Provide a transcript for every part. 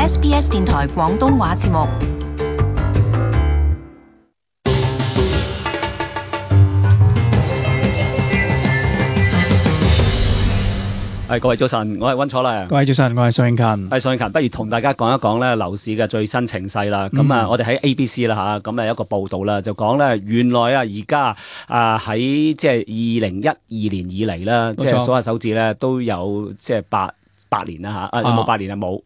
SBS 電台廣東話節目。各位早晨，我係溫楚良。各位早晨，我係宋慶勤。宋慶勤，不如同大家講一講咧樓市嘅最新情勢啦。咁我哋喺 ABC 啦嚇，咁有一個報道啦，就講咧原來而家喺即係2012年以嚟啦，即係數下手指咧都有即係八年啦嚇，有冇8年啊？冇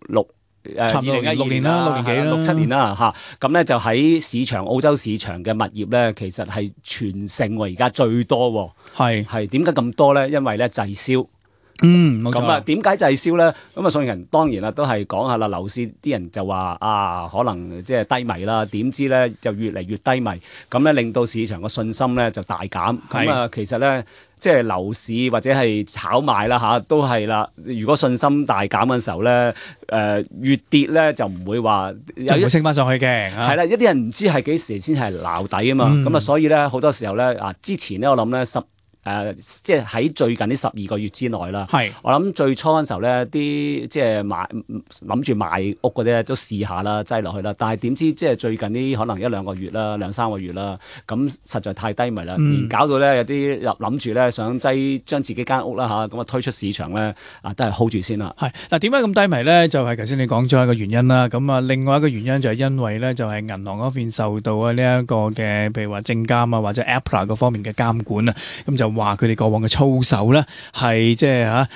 2016年啦，6年幾啦，6-7年啦嚇。咁咧就喺市場澳洲市場嘅物業咧，其實係全城而家最多喎。係點解咁多咧？因為咧滯銷。冇錯。咁啊，點解滯銷咧？咁啊，宋人當然啦，都係講下啦。樓市啲人就話可能即係低迷啦。點知咧就越嚟越低迷，咁咧令到市場嘅信心咧就大減。咁啊，其實咧即係樓市或者係炒賣啦都係啦。如果信心大減嘅時候咧，越跌咧就唔會話會升翻上去嘅。係啦，一啲人唔知係幾時先係撈底啊嘛。咁啊，所以咧好多時候咧之前咧我諗咧即係喺最近呢12個月之內啦。我諗最初嗰陣時候咧，啲即係諗住買屋嗰啲咧都試下啦，擠落去啦。但係點知即係最近呢可能1-2個月啦，2-3個月啦，咁實在太低迷啦，連搞到咧有啲諗住咧想將自己間屋啦咁啊推出市場咧都係 hold 住先啦。嗱，點解咁低迷咧？就係頭先你講咗一個原因啦。咁啊，另外一個原因就係因為咧，就係銀行嗰邊受到呢一個嘅，譬如話證監啊或者 APRA 嗰方面嘅監管啊，咁就話佢哋過往嘅操守咧係即係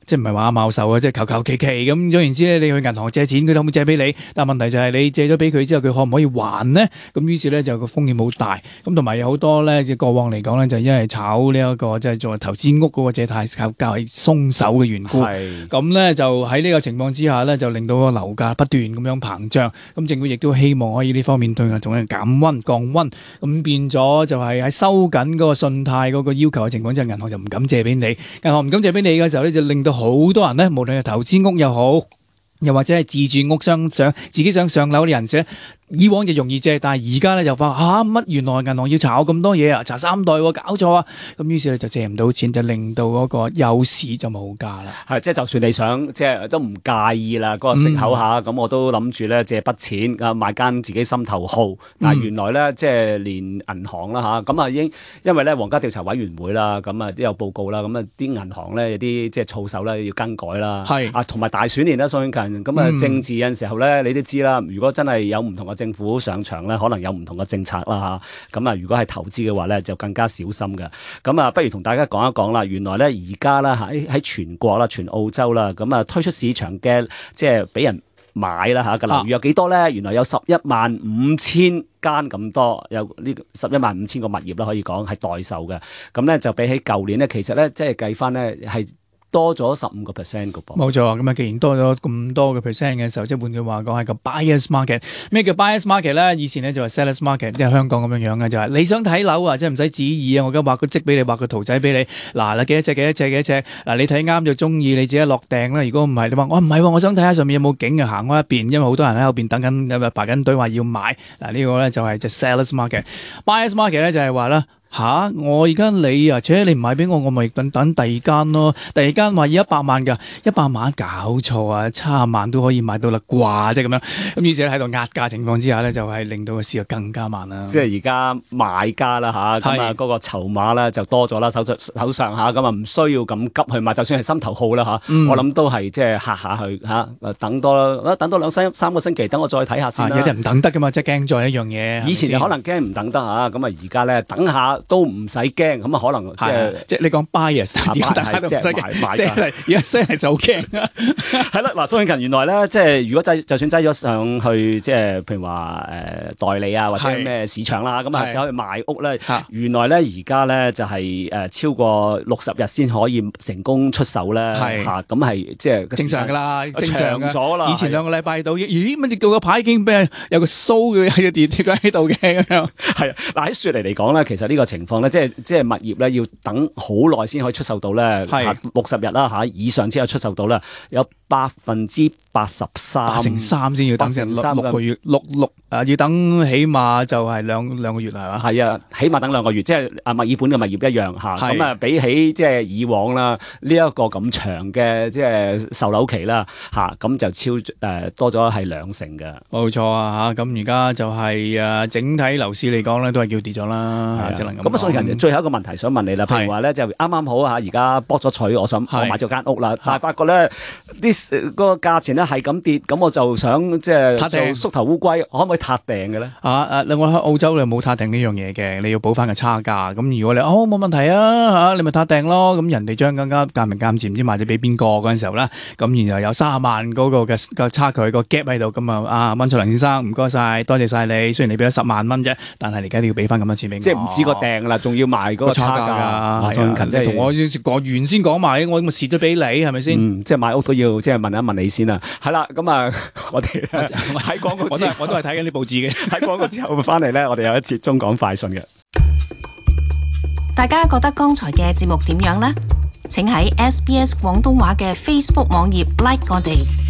即係唔係話阿茂手啊，即係求求其其咁。總言之咧，你去銀行借錢，佢可唔可以借俾你？但係問題就係你借咗俾佢之後，佢可唔可以還呢？咁於是咧就個風險好大。咁同埋有好多咧，過往嚟講咧，就因為炒呢一個即係作為投資屋嗰個借貸較為鬆手嘅緣故。咁咧就喺呢個情況之下咧，就令到個樓價不斷咁樣膨脹。咁政府亦都希望可以呢方面對同佢減溫降溫。咁變咗就係喺收緊嗰個信貸嗰個要求嘅情況之下，銀行就唔敢借俾你。銀行唔敢借俾你嘅時候咧，就令到好多人咧，無論係投資屋又好，又或者係自住屋自己想上樓嘅人士咧，以往就容易借，但係而家咧就話乜原來銀行要查我咁多嘢查3代搞錯啊！咁於是咧就借唔到錢，就令到嗰個有市就冇價啦。即係就算你想即係都唔介意啦，嗰個息口咁我都諗住咧借筆錢買間自己心頭好。但係原來咧即係連銀行啦咁啊已經因為咧皇家調查委員會啦，咁啊都有報告啦，咁啊啲銀行咧有啲即係操守咧要更改啦。同埋大選年啦，宋慶勤咁啊政治有陣時候咧你都知啦，如果真係有唔同嘅政府上場咧，可能有唔同嘅政策啦咁啊，如果係投資嘅話咧，就更加小心嘅。咁啊，不如同大家講一講啦。原來咧而家啦喺全國啦、全澳洲啦，咁啊推出市場嘅即係俾人買啦嘅樓宇有幾多咧？原來有115000間咁多，有呢115000個物業啦，可以講係待售嘅。咁咧就比起舊年咧，其實咧即係計翻咧係多咗15% 嘅噃。冇錯，咁啊，既然多咗咁多嘅 percent 嘅時候，即係換句話講係個 buyers market。咩叫 buyers market 咧？以前咧就係 sellers market，即係香港咁樣樣嘅，就係你想睇樓啊，即係唔使旨意啊，我而家畫個則俾你，畫個圖仔俾你。嗱，幾多尺？嗱，你睇啱就中意，你自己落訂啦。如果唔係，你話我唔係，我想睇下上面有冇景啊，行開一邊，因為好多人喺後邊等緊，排緊隊話要買。嗱，呢個咧就係 sellers market。buyers market 咧就係話啦。我而家你你唔買俾我咪等第二間咯。第二間話要100萬㗎，100萬搞錯啊，70萬都可以買到啦啩，即係咁樣。咁於是咧喺度壓價情況之下咧，就係令到個市更加慢啦。即係而家買家啦咁啊嗰個籌碼咧就多咗啦，手上咁啊唔需要咁急去買，就算係心頭好啦我諗都係即係嚇下去等多2-3個星期，等我再睇下先啦。有啲人唔等得㗎嘛，即係驚咗一樣嘢。以前就可能驚唔等得咁啊而家咧等下都唔使驚，咁啊可能即係你講 bias，大家都唔使驚，而家升嚟就好驚。係啦，嗱，宋慶勤原來咧，即係如果就算擠咗上去，即係譬如話代理啊或者咩市場啦，咁啊就可以賣屋咧。原來咧而家咧就係超過60日先可以成功出售咧。咁係即係正常㗎啦，正常咗啦。以前2個禮拜到，咦乜你個牌已經俾人有個 show 嘅喺個電喺度嘅咁樣。係嗱喺雪梨嚟講咧，其實呢個情況咧，即係物業咧要等好耐先可以出售到咧，60日啦以上先可以出售到咧，有80% 83先要等成六個月，要等起碼就係兩個月係嘛？係啊，起碼等2個月，即係墨爾本嘅物業一樣嚇。咁啊，比起即係以往啦，呢一個咁長嘅即係售樓期啦嚇，咁就多咗係2成嘅。冇錯啊嚇，咁而家就係整體樓市嚟講咧，都係叫跌咗啦，只能咁講。咁啊，所以人哋最後一個問題想問你啦，譬如話咧就啱啱好嚇，而家博咗取，我買咗間屋啦，但係發覺咧嗰個價錢咧係咁跌，咁我就想即係做縮頭烏龜，可唔可以撻訂嘅咧？另外喺澳洲你冇撻訂呢樣嘢嘅，你要補翻個差價。咁如果你冇問題啊你咪撻訂咯。咁人哋將更加間明間賤唔知賣咗俾邊個嗰陣時候咧，咁然後有30萬嗰個嘅差距個 gap 喺度，咁溫卓良先生唔該晒，多謝晒你。雖然你俾咗10萬蚊啫，但係你而家你要俾翻咁多錢俾我。即係唔止個訂啦，仲要賣嗰個差價。即係同我原先講埋，我咪蝕咗俾你，係咪先？即係買屋都要即係問一問你先啦。係啦，咁啊，我哋喺廣告之後，我都係睇緊啲報紙嘅。喺廣告之後翻嚟咧，我哋有一節中港快訊嘅。大家覺得剛才嘅節目點樣呢？請喺SBS 廣東話嘅 Facebook 網頁 like 我哋。